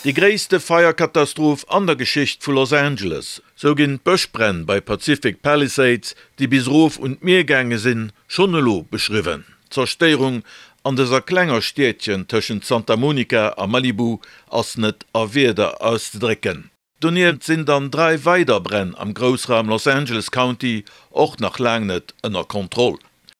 Déi gréisste Feierkatastroph an der Geschicht vu Los Angeles, sou ginn d'Bëschbränn bei Pacific Palisades, déi bis erof un d'Mier gaange sinn, schonn elo beschriwwen. D'Zerstéierung an dëser klenger Stiedchen tëschent Santa Monica a Malibu ass net a Wierder auszedrécken. Donieft sinn dann 3 weider Bränn am Groussraum Los Angeles County och nach laang net ënner Kontroll.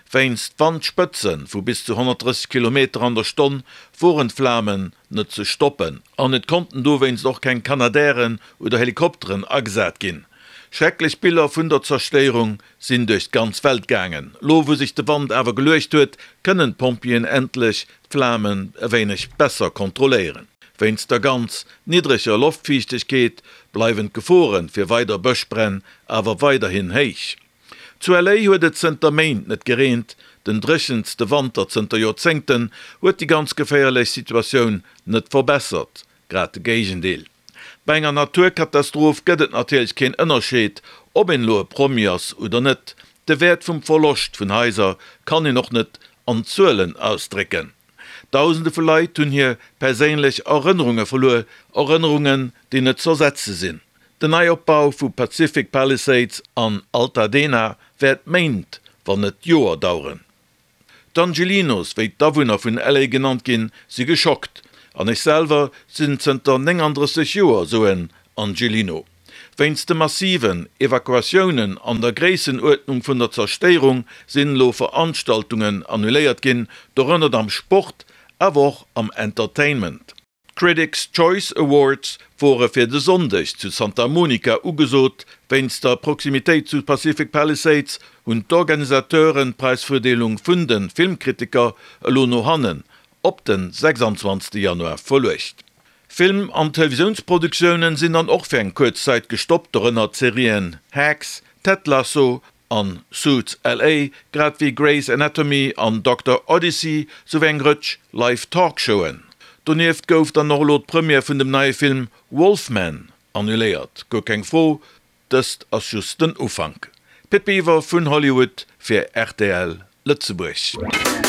Wéinst Wandspëtze vu bis zu 130 Kilometer an der Stonn woren d'Flamen net ze stoppen an et konnten dowéinst och keng Canadairen oder Helikopteren agesat ginn. Schrecklech Biller vun der Zerstéierung sinn duerch d'ganz Welt gaangen. Lo wou sech de Wand awer geluecht huet, kënnen d'Pompjeeën endlech d'Flamen e wéineg besser kontrolléieren. Wéinst der ganz niddreger Loftfiichtegkeet bleiwen d'Gefore fir weider Bëschbränn awer weiderhin héich. Zu LA huet et zënter Méint net gereent, den dréchenste Wanter zënter Joerzéngten huet déi ganz geféierlech Situatioun net verbessert, grad de Géigendeel. Bei enger Naturkatastroph gëtt et natierlech keen Ënnerscheed, ob een elo e Promi ass oder net. De Wäert vum Verloscht vun Haiser kann een och net an Zuelen ausdrécken. Dausende vu Leit hunn hir perséinlech Erënnerunge verluer, Erënnerungen, déi net z'ersetze sinn. Den Neiopbau vu Pacific Palisades an Altadena wäert Méint, wann net Joer daueren. D'Angelinos, wéi d'Awunner vun LA genannt ginn, si geschockt. An ech selwer sinn zënter 39 Joer sou en Angelino. Wéinst de massiven Evakuatiounen an der Gréissenuerdnung vun der Zerstéierung sinn elo Veranstaltungen annuléiert ginn, dorënner am Sport, awer och am Entertainment. D'Critics' Choice Awards wore fir de Sonndeg zu Santa Monica ugesot. Wéinst der Proximitéit zu Pacific Palisades hunn d'Organisateuren d'Präisverdeelung vun de Filmkritiker elo no hannen op de 26 Januar verluecht. Film an Televisiounsproduktioune sinn dann och fir eng kuerz Zäit gestoppt, dorënner d'Serien Hacks, Ted Lasso an Suits LA, grad wéi Grey's Anatomy an Doctor Odyssey, souwéi eng Rëtsch Live Talkshowen. Donieft gouf dann och elo d'Première vun dem neie Film Wolfman annuléiert. Guer keng Fro, dëst ass just den Ufank. Pit Biwer vun Hollywood fir rtl Lëtzebuerg.